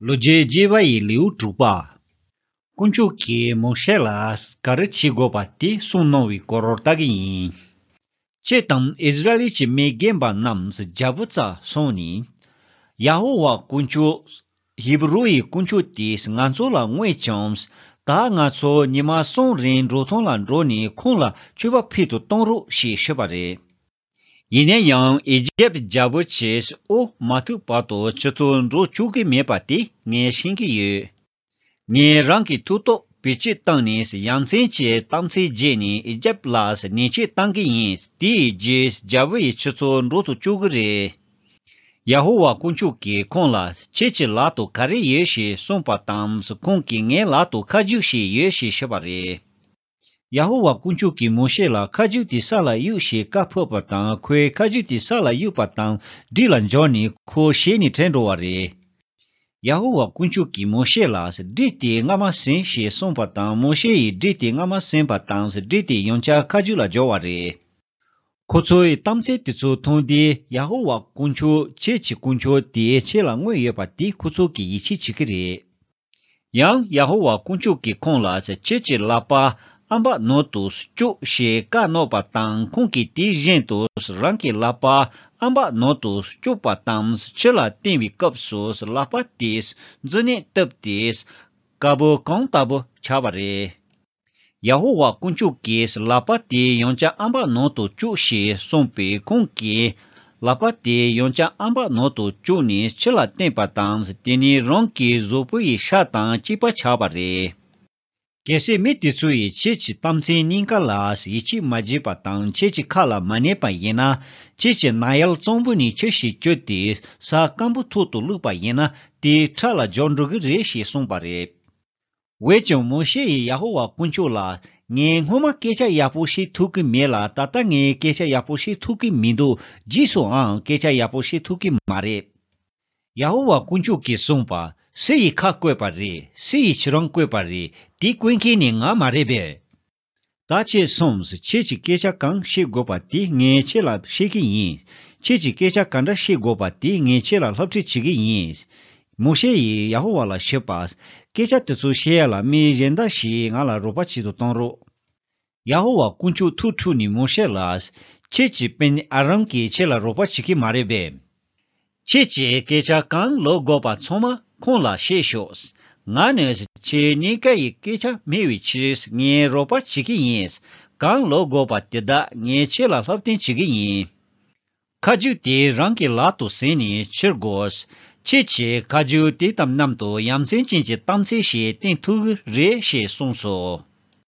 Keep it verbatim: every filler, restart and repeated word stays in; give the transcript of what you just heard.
ལོ་རྒྱུས་རྒྱས་པ་ཡི་ལེའུ་དྲུག་པ། དཀོན་མཆོག་གིས་མོ་ཤེ་ལ་ག་རེ་བྱེད་དགོས་པ་དེ་གསུངས་གནང་བའི་སྐོར་ལྟ་གི་ཡིན། ཁྱེད་དང་ཨིསི་ར་ཨེལ་གྱི་མི་རྒན་པ་རྣམས་རྒྱལ་པོ་རྩར་སོང་ནས། ཡ་ཧོ་ཝཱ་དཀོན་མཆོག་ཧི་བུ་རུ་ཡི་དཀོན་མཆོག་དེས་ང་ཚོ་ལ་མངོན་བྱུང་། ད་ང་ཚོ་ཉི་མ་གསུམ་རིང་འབྲོག་ཐང་ལ་འགྲོ་ནས་ཁོང་ལ་མཆོད་པ་ཕུལ་དུ་གཏོང་རོགས་ཞེས་ཞུས་པ་རེད། ཡིན་ན་ཡང་ཨི་ཇེབ་རྒྱལ་པོ་ཆེས་འོ་མ་ཐུག་བར་དུ་ཁྱེད་ཚོ་འགྲོ་བཅུག་གི་མེད་པ་དེ་ངས་ཤེས་ཀྱི་ཡོད། ངས་རང་གི་མཐུ་སྟོབས་བེད་སྤྱོད་བཏང་ནས་ཡ་མཚན་གྱི་གཏམ་ཚིག་བརྗེས་ནས་ཨི་ཇེབ་ལ་ཉེས་ཆད་བཏང་གི་ཡིན། དེའི་རྗེས་རྒྱལ་པོ་ཡིས་ཁྱེད་ཚོ་འགྲོ་དུ་བཅུག་གི་རེད། ཡ་ཧོ་ཝཱ་དཀོན་མཆོག་གིས་ཁོང་ལ་ཁྱེད་ཀྱི་ལག་ཏུ་ག་རེ་ཡོད་ཞེས་གསུངས་པ་དང་ཁོང་གིས་ངའི་ལག་ཏུ་ཁ་རྒྱུག་ཞིག་ཡོད་ཞེས་ཞུས་པ་རེད། ཡ་ཧོ་ཝཱ་དཀོན་མཆོག་གིས་མོ་ཤེ་ལ་ཁ་རྒྱུག་དེ་ས་ལ་གཡུག་ཞེས་བཀའ་ཕབ་པ་དང་ཁོས་ཁ་རྒྱུག་དེ་ས་ལ་གཡུག་པ་དང་སྦྲུལ་ལ་འགྱུར་ནས་ཁོ་ཞལ་ནས་བྲོས་འགྲོ་བ་རེད། ཡ་ཧོ་ཝཱ་དཀོན་མཆོག་གིས་མོ་ཤེ་ལ་སྦྲུལ་དེ་རྔ་མ་ཟིན་ཞེས་གསུངས་པ་དང་མོ་ཤེ་ཡིས་སྦྲུལ་དེ་རྔ་མ་ཟིན་པ་དང་སྦྲུལ་དེ་ཡང་བསྐྱར་ཁ་རྒྱུག་ལ་འགྱུར་བ་རེད། ཁོ་ཚོའི་གཏམ་ཚིག་དེ་ཚོ་མཐོང་དུས་ཡ་ཧོ་ཝཱ་དཀོན་མཆོག་ཁྱེད་ཀྱི་དཀོན་མཆོག་དེ་ཁྱེད་ལ་མངོན་ཡོད་པ་དེ་ཁོ་ཚོ་གིས་ཡིད་ཆེས་བྱེད་ཀྱི་རེད། ཡང་ཡ་ཧོ་ཝཱ་དཀོན་མཆོག་གིས་ཁོང་ལ་ཁྱེད་ཀྱི་ལག་པ་ཨམ་བག་ནང་དུ་བཅུག་ཞེས་བཀའ་གནང་བ་དང་ཁོང་གིས་དེ་བཞིན་དུ་རང་གི་ལག་པ་ཨམ་བག་ནང་དུ་བཅུག་པ་དང་ཕྱི་ལ་བསྟན་པའི་སྐབས་སུ་ལག་པ་དེས་མཛུབ་གནོན་བཏབ་སྟེ་དཀར་པོ་གོང་ལྟ་བུ་ཆགས་པ་རེད། ཡ་ཧོ་ཝཱ་དཀོན་མཆོག་གིས་ལག་པ་དེ་ཡང་བསྐྱར་ཨམ་བག་ནང་དུ་བཅུག་ཞེས་གསུངས་པས་ཁོང་གིས་ལག་པ་དེ་ཡང་བསྐྱར་ཨམ་བག་ནང་དུ་བཅུག་ནས་ཕྱི་ལ་བསྟན་པ་དང་དེ་ནས་རང་གི་གཟུགས་པོ་ཡི་ཤ་དང་གཅིག་པ་ཆགས་པ་རེད། གལ་སྲིད་མི་དེ་ཚོ་ཡིས་ཁྱེད་ཀྱི་གཏམ་ཚིག་གཉིས་ཀ་ལ་ཡིད་ཆེས་མ་བྱས་པ་དང་ཁྱེད་ཀྱི་ཁ་ལ་མ་ཉན་པ་ཡིན་ན་ཁྱེད་ཀྱི་ནག་ཡལ་གཙང་པོ་ནས་ཆུ་ཞིག་བསྐྱོད་དེ་ས་སྐམ་པོ་ཐོག་ཏུ་བླུགས་པ་ཡིན་ན་དེ་ཁྲག་ལ་འགྱུར་འགྲོ་གི་རེད་ཞེས་གསུངས་པ་རེད། འོན་ཀྱང་མོ་ཤེ་ཡིས་ཡ་ཧོ་ཝཱ་དཀོན་མཆོག་ལ། ངས་སྔོན་མ་སྐད་ཆ་ཡག་པོ་བཤད་ཐུབ་ཀྱི་མེད་ལ་ད་ལྟ་ངས་སྐད་ཆ་ཡག་པོ་བཤད་ཐུབ་ཀྱི་མི་འདུག་རྗེས་སུའང་སྐད་ཆ་ཡག་པོ་བཤད་ཐུབ་ཀྱི་མ་རེད། ཡ་ཧོ་ཝཱ་དཀོན་མཆོག་གིས་གསུངས་པ། སུ་ཡིས་ཁ་བཀོད་པ་རེད། སུ་ཡིས་ཁྱེད་རང་བཀོད་པ་རེད། དེ་བཀོད་མཁན་ནི་ང་མ་རེད་པས། ད་ཁྱེད་སོང་། ཁྱེད་ཀྱིས་སྐད་ཆ་གང་བཤད་དགོས་པ་དེ་ངས་ཁྱེད་ལ་བཤད་ཀྱི་ཡིན། ཁྱེད་ཀྱིས་སྐད་ཆ་ག་འདྲ་བཤད་དགོས་པ་དེ་ངས་ཁྱེད་ལ་སློབ་ཁྲིད་བྱེད་ཀྱི་ཡིན། མོ་ཤེ་ཡིས་ཡ་ཧོ་ཝཱ་ལ་ཞུས་པ། སྐད་ཆ་དེ་ཚོ་བཤད་ཡ་ལ་མི་གཞན་དག་ཞིག་ང་ལ་རོགས་པ་བྱེད་དུ་གཏོང་རོགས། ཡ་ཧོ་ཝཱ་དཀོན་མཆོག་ཐུགས་འཁྲུགས་ནས་མོ་ཤེ་ལ། ཁྱེད་ཀྱི་སྤུན་ཨ་རོན་གྱིས་ཁྱེད་ལ་རོགས་པ་བྱེད་ཀྱི་མ་རེད་པས། ཁྱེད་ཀྱིས་སྐད་ཆ་གང་ལབ་དགོས་པ་ཚང་མ་ཁོང་ལ་བཤད་ཤོག་ང་ནི་ཁྱེད་གཉིས་ཀ་ཡི་སྐད་ཆ་སྨྲ་བའི་ཕྱིར་ངས་རོགས་པ་བྱེད་ཀྱི་ཡིན། གང་ལབ་དགོས་པ་དེ་དག་ངས་ཁྱེད་ལ་སློབ་སྟོན་བྱེད་ཀྱི་ཡིན། ཁ་རྒྱུག་དེ་རང་གི་ལག་ཏུ་ཟིན་ནས་ཁྱེར་དགོས། ཁྱེད་ཀྱིས་ཁ་རྒྱུག་དེ་དང་མཉམ་དུ་ཡ་མཚན་ཅན་གྱི་གཏམ་ཚིག་ཞིག་བསྟན་ཐུབ་ཀྱི་རེད་ཞེས་གསུངས་སོ།